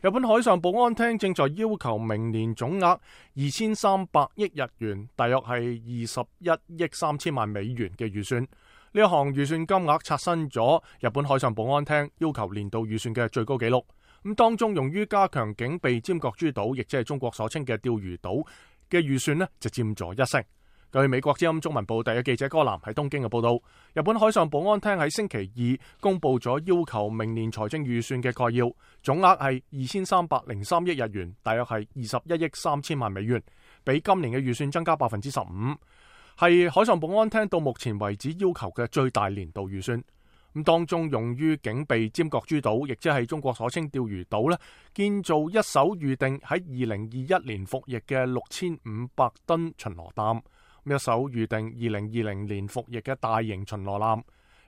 日本海上保安廳正在要求明年總額2300億日元，大約係21億3000萬美元嘅預算。呢一項預算金額刷新咗日本海上保安廳要求年度預算嘅最高紀錄。咁當中用於加強警備尖閣諸島，亦即係中國所稱嘅釣魚島嘅預算呢，就佔咗1成。據美國之音中文部第一記者柯南喺東京嘅報道，日本海上保安廳喺星期二公布咗要求明年財政預算嘅概要，總額係2303億日元，大約係21億3000萬美元，比今年嘅預算增加15%，係海上保安廳到目前為止要求嘅最大年度預算。咁當中用於警備尖閣諸島，亦即係中國所稱釣魚島呢，建造一艘預定喺2021年服役嘅6500噸巡邏艦。一艘預定2020年服役嘅大型巡邏艦，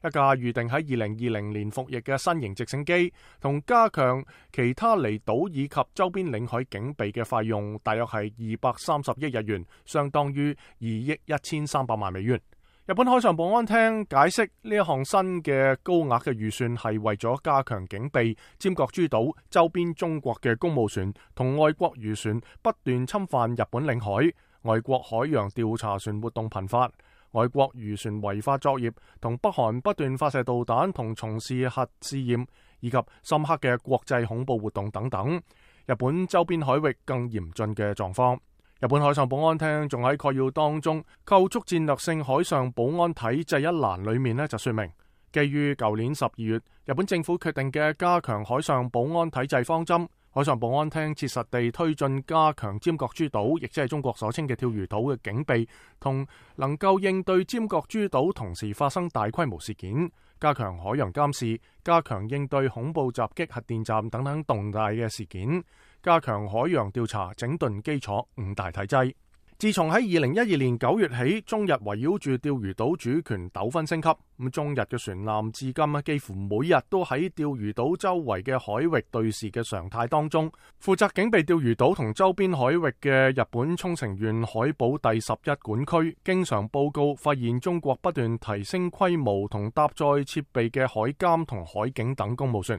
一架預定喺2020年服役嘅新型直升機，同加強其他離島以及周邊領海警備嘅費用，大約係230億日元，相當於2億1300萬美元。日本海上保安廳解釋呢一項新嘅高額嘅預算係為咗加強警備尖閣諸島周邊中國嘅公務船同外國漁船不斷侵犯日本領海，外國海洋調查船活動頻發，外國漁船違法作業，同北韓不斷發射導彈同從事核試驗，以及深刻嘅國際恐怖活動等等，日本周邊海域更嚴峻嘅狀況。日本海上保安廳仲喺概要當中構築戰略性海上保安體制一欄裏面就說明，基於舊年12月日本政府決定嘅加強海上保安體制方針，海上保安廳切實地推進加強尖閣諸島，亦即係中國所稱嘅釣魚島嘅警備，同能夠應對尖閣諸島同時發生大規模事件，加強海洋監視，加強應對恐怖襲擊、核電站等等重大嘅事件，加強海洋調查整頓基礎5大體制。自從喺2012年9月起，中日圍繞住釣魚島主權糾紛升級，咁中日嘅船艦至今幾乎每日都喺釣魚島周圍嘅海域對峙嘅常態當中。負責警備釣魚島同周邊海域嘅日本沖繩縣海保第11管區，經常報告發現中國不斷提升規模同搭載設備嘅海監同海警等公務船，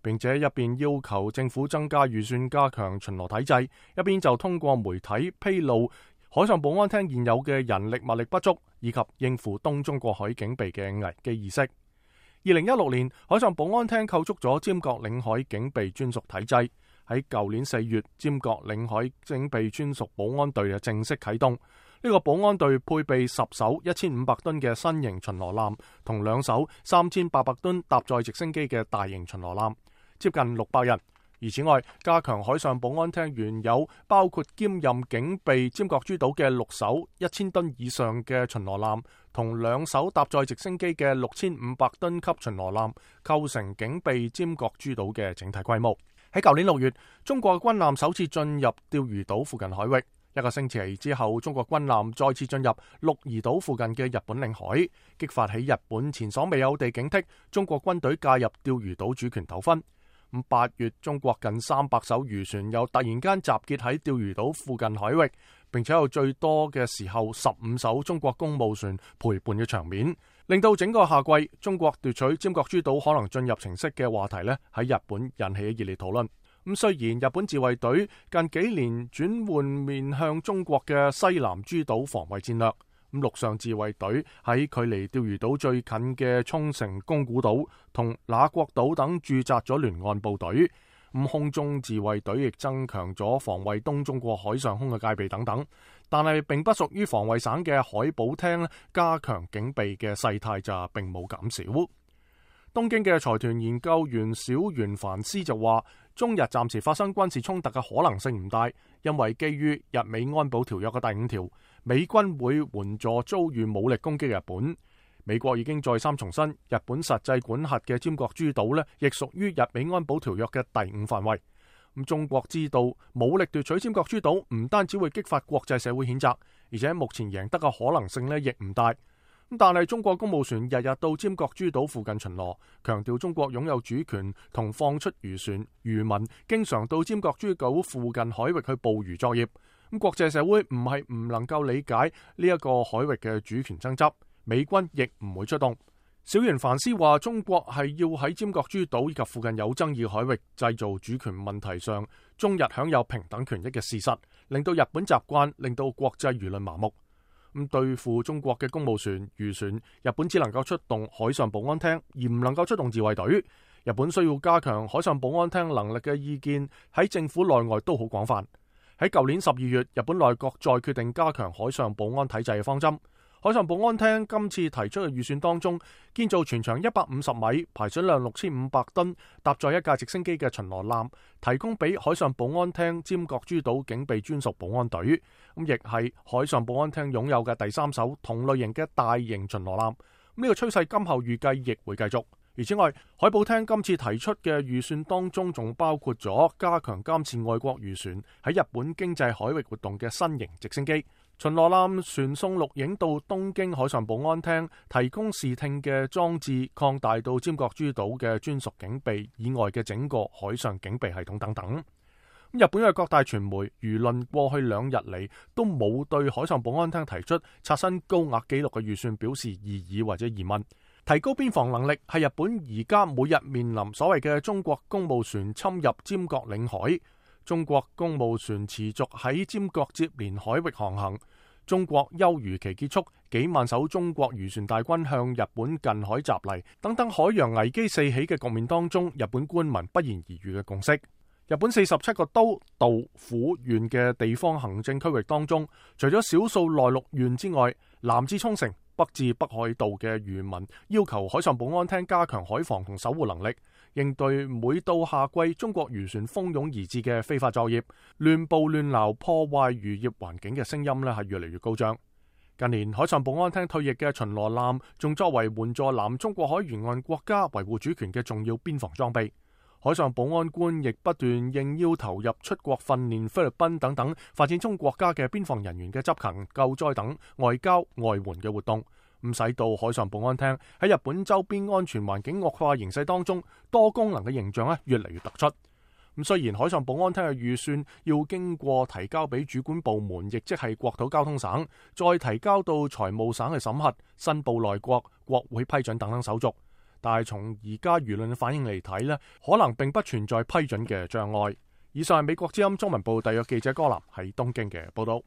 並且一邊要求政府增加預算加強巡邏體制，一邊就通過媒體披露海上保安廳現有嘅人力物力不足，以及應付東中國海警備嘅危機意識。2016年，海上保安廳構築咗尖閣領海警備專屬體制。喺舊年4月，尖閣領海警備專屬保安隊正式啟動。呢個保安隊配備10艘1500噸嘅新型巡邏艦，同2艘3800噸搭載直升機嘅大型巡邏艦，接近600人。而此外，加強海上保安廳原有包括兼任警備尖閣諸島嘅6艘1000噸以上嘅巡邏艦，同2艘搭載直升機嘅6500噸級巡邏艦，構成警備尖閣諸島嘅整體規模。喺舊年6月，中國軍艦首次進入釣魚島附近海域。1個星期之後，中國軍艦再次進入鹿兒島附近嘅日本領海，激發起日本前所未有地警惕中國軍隊介入釣魚島主權糾紛。8月，中國近300艘漁船又突然間集結喺釣魚島附近海域，並且有最多嘅時候15艘中國公務船陪伴嘅場面，令到整個夏季中國奪取尖閣諸島可能進入情勢嘅話題喺日本引起熱烈討論。雖然日本自衛隊近幾年轉換面向中國嘅西南諸島防衛戰略，陸上自衛隊喺距離釣魚島最近嘅沖繩宮古島同那國島等駐紮咗聯岸部隊，空中自衛隊亦增強咗防衛東中國海上空嘅戒備等等，但係並不屬於防衛省嘅海保廳加強警備嘅勢態就並冇減少。東京嘅財團研究員小原凡斯就話，中日暫時發生軍事衝突嘅可能性唔大，因為基於日美安保條約嘅第5條，美軍會援助遭遇武力攻擊日本。美國已經再三重申，日本實際管轄嘅尖閣諸島亦屬於日美安保條約嘅第5範圍。中國知道武力奪取尖閣諸島唔單止會激發國際社會譴責，而且目前贏得嘅可能性亦唔大。但係中國公務船日日到尖閣諸島附近巡邏，強調中國擁有主權同放出漁船，漁民經常到尖閣諸島附近海域去捕魚作業。國際社會唔係唔能夠理解呢一個海域嘅主權爭執，美軍亦唔會出動。小原凡斯話：中國係要喺尖閣諸島以及附近有爭議海域製造主權問題上中日享有平等權益嘅事實，令到日本習慣，令到國際輿論麻木。咁對付中國嘅公務船、漁船，日本只能夠出動海上保安廳，而唔能夠出動自衛隊。日本需要加強海上保安廳能力嘅意見喺政府內外都好廣泛。喺舊年12月，日本內閣再決定加強海上保安體制嘅方針。海上保安廳今次提出嘅預算當中，建造全長150米、排水量6500噸、搭載一架直升機嘅巡邏艦，提供俾海上保安廳尖閣諸島警備專屬保安隊。咁亦係海上保安廳擁有嘅第3艘同類型嘅大型巡邏艦。呢個趨勢今後預計亦會繼續。而此外，海保廳今次提出嘅預算當中，仲包括咗加強監視外國漁船喺日本經濟海域活動嘅新型直升機。巡邏艦傳送錄影到東京海上保安廳，提供視聽嘅裝置，擴大到尖閣諸島嘅專屬警備以外嘅整個海上警備系統等等。日本嘅各大傳媒輿論過去2日嚟都冇對海上保安廳提出刷新高額紀錄嘅預算表示異議或者疑問。提高邊防能力係日本而家每日面臨所謂嘅中國公務船侵入尖閣領海。中國公務船持續喺尖閣接連海域航行，中國休漁期結束，幾萬艘中國漁船大軍向日本近海襲嚟，等等海洋危機四起嘅局面當中，日本官民不言而喻嘅共識。日本47個都道府縣嘅地方行政區域當中，除咗少數內陸縣之外，南至沖繩、北至北海道嘅漁民要求海上保安廳加強海防同守護能力，應對每到夏季中國漁船蜂擁而至嘅非法作業、亂捕亂撈破壞漁業環境嘅聲音係越嚟越高漲。近年海上保安廳退役嘅巡邏艦仲作為援助南中國海沿岸國家維護主權嘅重要邊防裝備。海上保安官亦不斷應邀投入出國訓練菲律賓等等發展中國家嘅邊防人員嘅執勤、救災等外交外援嘅活動，咁使到海上保安廳喺日本周邊安全環境惡化形勢當中，多功能嘅形象越嚟越突出。咁雖然海上保安廳嘅預算要經過提交俾主管部門，亦即係國土交通省，再提交到財務省去審核、申報內閣、國會批准等等手續。但係從而家輿論嘅反應嚟睇可能並不存在批准嘅障礙。以上係美國之音中文部特約記者柯南喺東京嘅報道。